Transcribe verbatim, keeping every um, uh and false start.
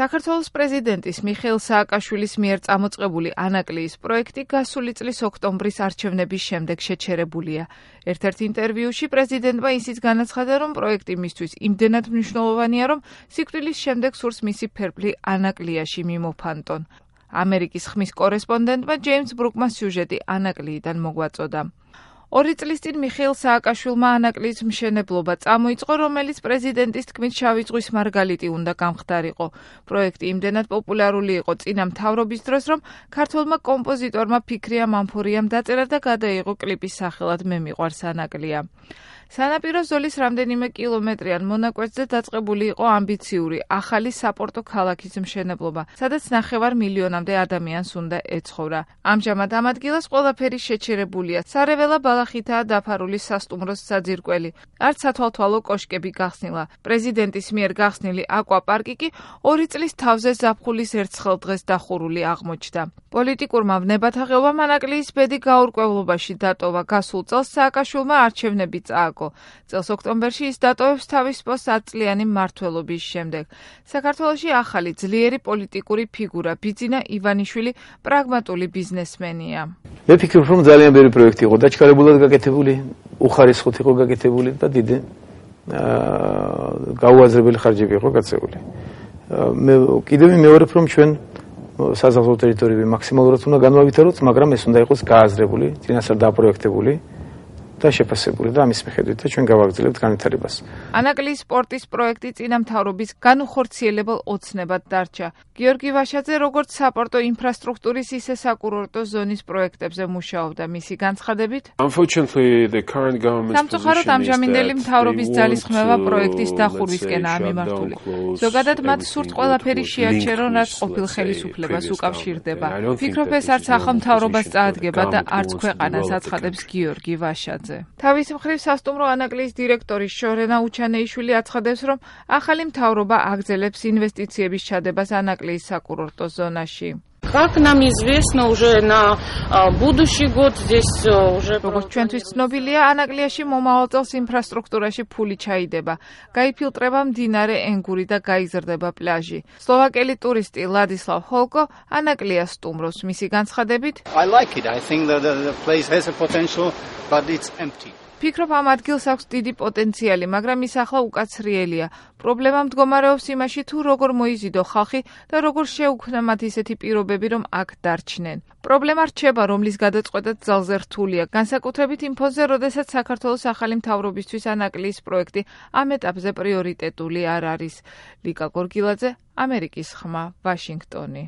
საქართველოს პრეზიდენტის მიხეილ სააკაშვილის მიერ წამოწყებული ანაკლიის პროექტი გასული წლის ოქტომბრის არჩევნების შემდეგ შეჩერებულია. ერთ-ერთ ინტერვიუში პრეზიდენტმა ისიც განაცხადა, რომ პროექტი მისთვის იმდენად მნიშვნელოვანია, რომ სიკვდილის შემდეგ სურს მისი ფერფლი ანაკლიაში მიმოფანტონ. ამერიკის ხმის კორესპონდენტმა ჯეიმს ბრუკმა სიუჟეტი ანაკლიიდან მოგვაწოდა. ორი წლის წინ მიხეილ სააკაშვილმა ანაკლიის მშენებლობა წამოიწყო, რომელიც პრეზიდენტის თქმით შავი ზღვის მარგალიტი უნდა გამხდარიყო. პროექტი იმდენად პოპულარული იყო წინა მთავრობის დროს, რომ ქართველმა კომპოზიტორმა ფიქრია მამფორიამ დაწერა და გადაიღო კლიპის სახელად „მე მიყვარს ანაკლია“. სანაპირო ზოლის რამდენიმე კილომეტრიან მონაკვეთზე დაწყებული იყო ამბიციური ახალი საპორტო ქალაქის მშენებლობა, სადაც ნახევარ მილიონამდე ადამიანს უნდა ეცხოვრა. ამჟამად ამ ადგილას ყველაფერი შეჩერებულია. სარეველა ბალახითაა დაფარული სასტუმროს საძირკველი. არც სათვალთვალო კოშკები გახსნილა. პრეზიდენტის მიერ გახსნილი აკვაპარკი კი ორი წლის თავზე ზაფხულის ერთხელ დღეს დახურული აღმოჩნდა. პოლიტიკურმა ვნებათაღელვამ ანაკლიის ბედი გაურკვევლობაში დატოვა. გასულ წელს სააკაშვილმა არჩევნები წააგო. წელს ოქტომბერში ის დატოვებს თავის პოსტს ათწლიანი მმართველობის შემდეგ. საქართველოში ახალი ძლიერი პოლიტიკური ფიგურა ბიძინა ივანიშვილი პრაგმატული ბიზნესმენია. მე ფიქრობ, რომ ძალიან ბევრი პროექტი იყო დაჩქარებულად გაკეთებული, უხარისხოთ იყო გაკეთებული და დიდი გაუაზრებელი ხარჯები იყო გაწეული. მე კიდევ მეორებ, რომ ჩვენ საზღვაო ტერიტორიები მაქსიმალურად უნდა განვავითაროთ, მაგრამ ეს უნდა იყოს გააზრებული, წინასწარ დაპროექტებული და შეფასებული და ამის მიხედვით ჩვენ გავაგრძელებთ განვითარებას. ანაკლიის სპორტის პროექტი წინა მთავრობის განუხორციელებელ ოცნებად დარჩა. გიორგი ვაშაძე როგორც საპორტო ინფრასტრუქტურის, ისე საკურორტო ზონის პროექტებზე მუშაობდა. მისი განცხადებით, სამწუხაროდ ამჟამინდელი მთავრობის ძალისხმევა პროექტის დახურვისკენაა მიმართული. ზოგადად მათ სურთ ყველაფერი შეაჩერონ, რაც ყოფილ ხელისუფლებას უკავშირდება. ფიქრობ, ეს არც ახალ მთავრობას წაადგება და არც ქვეყანას აცხადებს გიორგი ვაშაძე. თავის მხრივ სასტუმრო ანაკლიის დირექტორი შორენა უჩანეიშვილი აცხადებს, რომ ახალი მთავრობა აგრძელებს ინვესტიციების ჩადებას ანაკლიის საკურორტო ზონაში. Как нам известно уже на будущий год здесь уже როგორც ჩვენთვის ცნობილია, ანაკლიაში მომავალ წელს ინფრასტრუქტურაში ფული ჩაიდება. გაიფილტრება მდინარე ენგური და გაიზრდება პლაჟი. სლოვაკელი ტურისტი ლადისლავ ჰოლკო ანაკლიას სტუმრობს. მისი განცხადებით, I like it. I think that the, the place has a potential, but it's empty. ფიქრობ, ამ ადგილს აქვს დიდი პოტენციალი, მაგრამ ის ახლა უკაცრიელია. პრობლემა მდგომარეობს იმაში, თუ როგორ მოიზიდო ხალხი და როგორ შეუქმნა მათ ისეთი პირობები, რომ აქ დარჩნენ. პრობლემა რჩება, რომლის გადაწყვეტაც ძალზე რთულია, განსაკუთრებით იმ ფონზე, როდესაც საქართველოს ახალი მთავრობისთვის ანაკლიის პროექტი ამ ეტაპზე პრიორიტეტული არ არის. ლიკა გორგილაძე, ამერიკის ხმა, ვაშინგტონი.